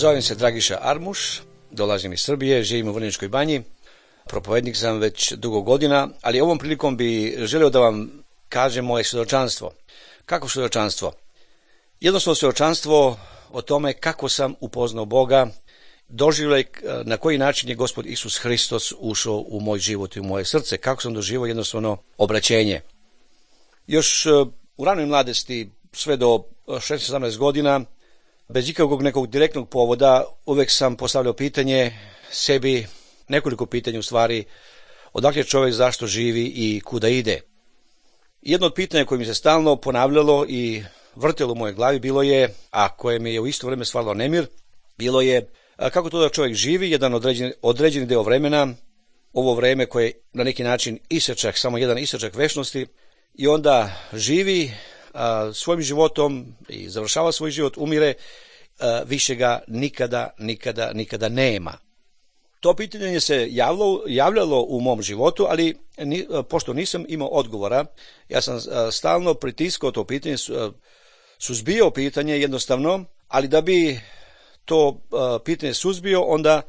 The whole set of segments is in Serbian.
Zovem se Dragiša Armuš, dolazim iz Srbije, živim u Vrnjačkoj Banji, propovednik sam već dugo godina, ali ovom prilikom bi želeo da vam kažem moje svjedočanstvo. Kako svjedočanstvo? Jednostavno svjedočanstvo o tome kako sam upoznao Boga, doživljaj na koji način je Gospod Isus Hristos ušao u moj život i u moje srce, kako sam doživio jednostavno obraćenje. Još u ranoj mladosti, sve do 16-17 godina, bez ikakvog nekog direktnog povoda, uvek sam postavljao pitanje sebi, nekoliko pitanja u stvari, odakle čovjek, zašto živi i kuda ide. Jedno od pitanja koje mi se stalno ponavljalo i vrtelo u mojoj glavi bilo je, a koje mi je u isto vrijeme stvaralo nemir, bilo je kako to da čovjek živi jedan određeni deo vremena, ovo vreme koje je na neki način isječak, samo jedan isječak večnosti, i onda živi svojim životom i završava svoj život, umire, više ga nikada nema. To pitanje se javljalo u mom životu, ali pošto nisam imao odgovora, ja sam stalno pritiskao to pitanje, suzbio pitanje jednostavno, ali da bi to pitanje suzbio, onda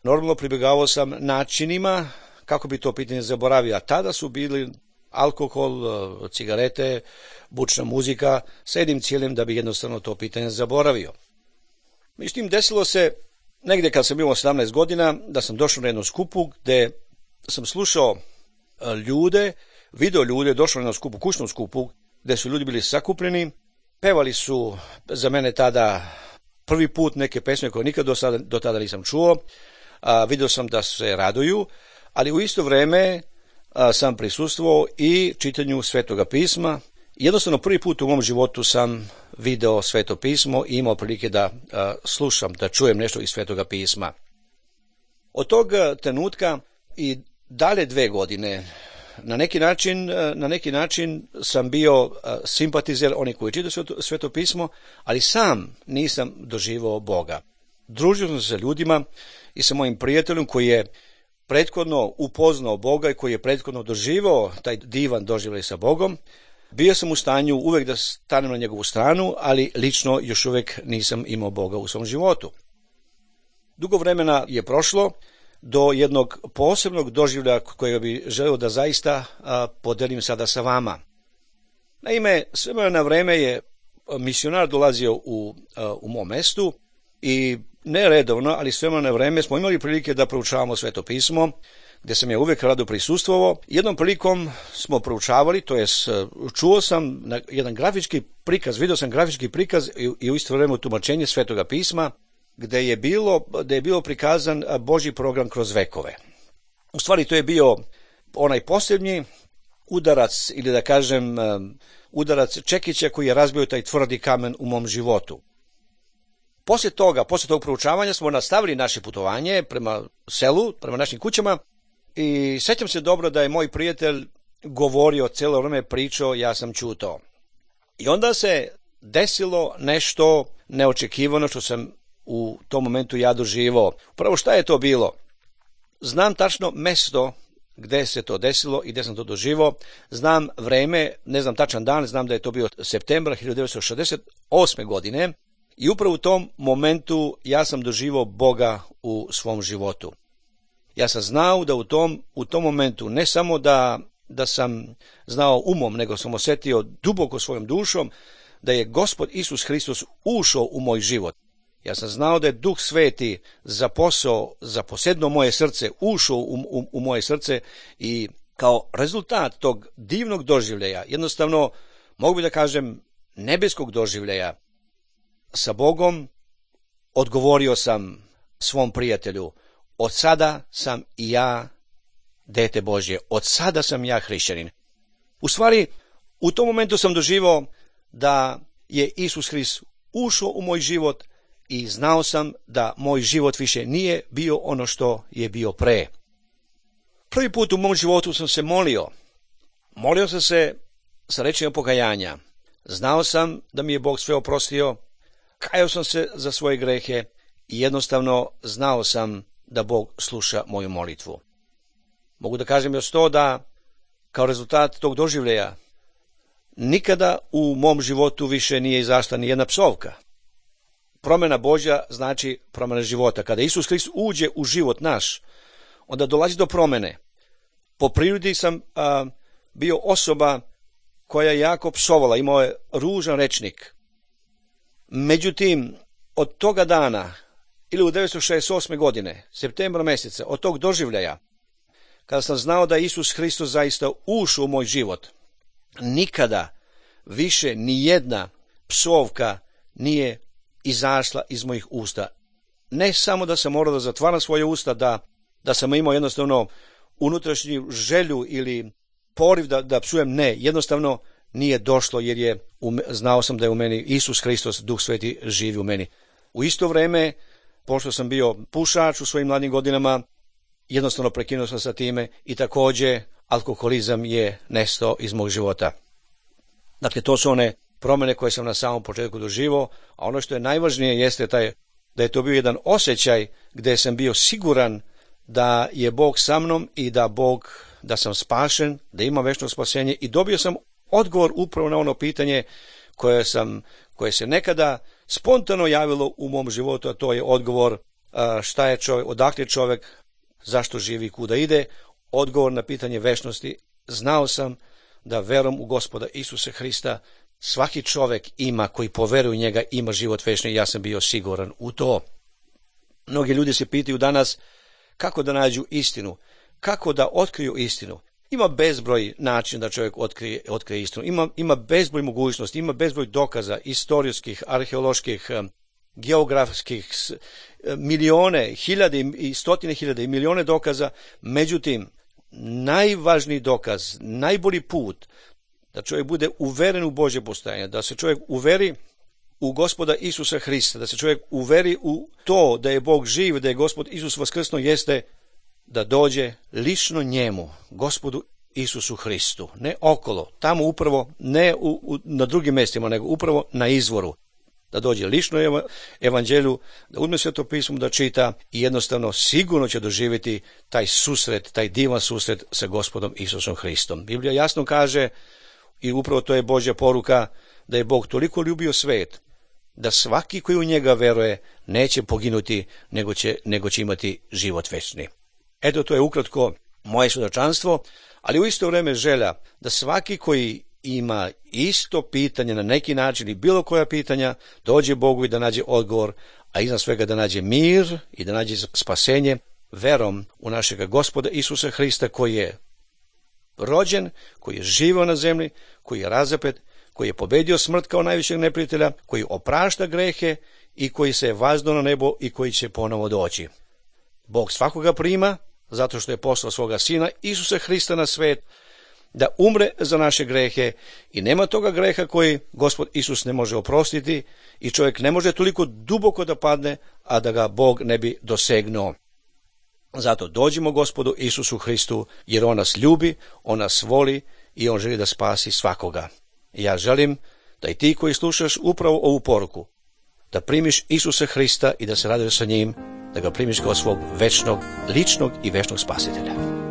normalno pribjegavao sam načinima kako bi to pitanje zaboravio. A tada su bili alkohol, cigarete, bučna muzika, sa jednim ciljem da bi jednostavno to pitanje zaboravio. Međutim, desilo se negdje kad sam imao 17 godina da sam došao na jednu skupu gde sam slušao ljude, video ljude, došao na jednu skupu, kućnu skupu, gde su ljudi bili sakupljeni, pevali su za mene tada prvi put neke pesme koje nikad do tada nisam čuo, vidio sam da se raduju, ali u isto vrijeme sam prisustvovao i čitanju Svetoga pisma. Jednostavno prvi put u mom životu sam video Sveto pismo i imao prilike da slušam, da čujem nešto iz Svetoga pisma. Od tog trenutka i dalje 2 godine na neki način sam bio simpatizer onih koji čitaju Sveto pismo, ali sam nisam doživao Boga. Družio sam se sa ljudima i sa mojim prijateljem koji je prethodno upoznao Boga i koji je prethodno doživao taj divan doživljaj sa Bogom. Bio sam u stanju uvek da stanem na njegovu stranu, ali lično još uvek nisam imao Boga u svom životu. Dugo vremena je prošlo do jednog posebnog doživljaja kojega bi želeo da zaista podelim sada sa vama. Naime, s vremena na vreme je misionar dolazio u mom mestu i ne redovno, ali s vremena na vreme smo imali prilike da proučavamo Sveto pismo, gde sam ja uvek rado prisustvovao. Jednom prilikom smo proučavali, to jest čuo sam jedan grafički prikaz, video sam grafički prikaz i u isto vrijeme tumačenje Svetoga pisma, gde je bilo prikazan Božji program kroz vekove. U stvari to je bio onaj posljednji udarac, ili da kažem udarac čekića koji je razbio taj tvrdi kamen u mom životu. Posle tog proučavanja smo nastavili naše putovanje prema selu, prema našim kućama, i sećam se dobro da je moj prijatelj govorio, cijelo vrijeme pričao, ja sam ćutao. I onda se desilo nešto neočekivano što sam u tom momentu ja doživao. Prvo, šta je to bilo? Znam tačno mesto gde se to desilo i gde sam to doživao. Znam vreme, ne znam tačan dan, znam da je to bio septembra 1968. godine i upravo u tom momentu ja sam doživao Boga u svom životu. Ja sam znao da u tom momentu ne samo da sam znao umom, nego sam osjetio duboko svojom dušom da je Gospod Isus Hristos ušao u moj život. Ja sam znao da je Duh Sveti zaposedno moje srce, ušao u moje srce i kao rezultat tog divnog doživljaja, jednostavno mogu bi da kažem nebeskog doživljaja sa Bogom, odgovorio sam svom prijatelju: od sada sam i ja dete Božje, od sada sam ja hrišćanin. U stvari, u tom momentu sam doživao da je Isus Hrist ušao u moj život i znao sam da moj život više nije bio ono što je bio pre. Prvi put u mom životu sam se molio. Molio sam se sa rečima pokajanja. Znao sam da mi je Bog sve oprostio, kajao sam se za svoje grehe i jednostavno znao sam da Bog sluša moju molitvu. Mogu da kažem još to da kao rezultat tog doživljaja nikada u mom životu više nije izašla ni jedna psovka. promjena Božja znači promjena života. Kada Isus Hrist uđe u život naš, onda dolazi do promjene. Po prirodi sam bio osoba koja je jako psovala, imao je ružan rečnik. Međutim, od toga dana, ili u 1968. godine, septembra mjeseca, od tog doživljaja, kada sam znao da Isus Hristos zaista ušao u moj život, nikada više ni jedna psovka nije izašla iz mojih usta. Ne samo da sam morao da zatvaram svoje usta, da sam imao jednostavno unutrašnju želju ili poriv da psujem, ne, jednostavno nije došlo, jer znao sam da je u meni Isus Hristos, Duh Sveti, živi u meni. U isto vrijeme, pošto sam bio pušač u svojim mladim godinama, jednostavno prekinuo sam sa time i također alkoholizam je nestao iz mog života. Dakle, to su one promjene koje sam na samom početku doživio, a ono što je najvažnije jeste da je to bio jedan osjećaj gdje sam bio siguran da je Bog sa mnom i da sam spašen, da imam večno spasenje, i dobio sam odgovor upravo na ono pitanje koje se nekada spontano javilo u mom životu, a to je odgovor šta je čovjek, odakle je čovjek, zašto živi, kuda ide. Odgovor na pitanje večnosti. Znao sam da verom u Gospoda Isusa Hrista svaki čovjek ima, koji poveruje u njega, ima život večni, i ja sam bio siguran u to. Mnogi ljudi se pitaju danas kako da nađu istinu, kako da otkriju istinu. Ima bezbroj načina da čovjek otkrije istinu. Ima bezbroj mogućnosti, ima bezbroj dokaza, istorijskih, arheoloških, geografskih, milijone, hiljade i stotine hiljade i milijone dokaza. Međutim, najvažniji dokaz, najbolji put da čovjek bude uveren u Božje postojanje, da se čovjek uveri u Gospoda Isusa Hrista, da se čovjek uveri u to da je Bog živ, da je Gospod Isus vaskrsnuo, jeste da dođe lično njemu, Gospodu Isusu Hristu, ne okolo, tamo upravo, ne na drugim mjestima, nego upravo na izvoru. Da dođe lično evanđelju, da uzme Sveto pismo, da čita, i jednostavno sigurno će doživjeti taj susret, taj divan susret sa Gospodom Isusom Hristom. Biblija jasno kaže, i upravo to je Božja poruka, da je Bog toliko ljubio svijet da svaki koji u njega veruje neće poginuti, nego će imati život večni. Eto, to je ukratko moje svjedočanstvo, ali u isto vrijeme želja da svaki koji ima isto pitanje na neki način i bilo koja pitanja, dođe Bogu i da nađe odgovor, a iznad svega da nađe mir i da nađe spasenje verom u našega Gospoda Isusa Hrista, koji je rođen, koji je živio na zemlji, koji je razapet, koji je pobedio smrt kao najvišeg neprijatelja, koji oprašta grehe i koji se je vazdo na nebo i koji će ponovo doći. Bog svakoga prima, zato što je poslao svoga Sina Isusa Hrista na svijet da umre za naše grehe, i nema toga greha koji Gospod Isus ne može oprostiti, i čovjek ne može toliko duboko da padne, a da ga Bog ne bi dosegnuo. Zato dođimo Gospodu Isusu Hristu, jer On nas ljubi, On nas voli i On želi da spasi svakoga. I ja želim da i ti koji slušaš upravo ovu poruku, da primiš Isusa Hrista i da se raduješ sa njim, da ga primiš kao svog večnog, ličnog i večnog spasitelja.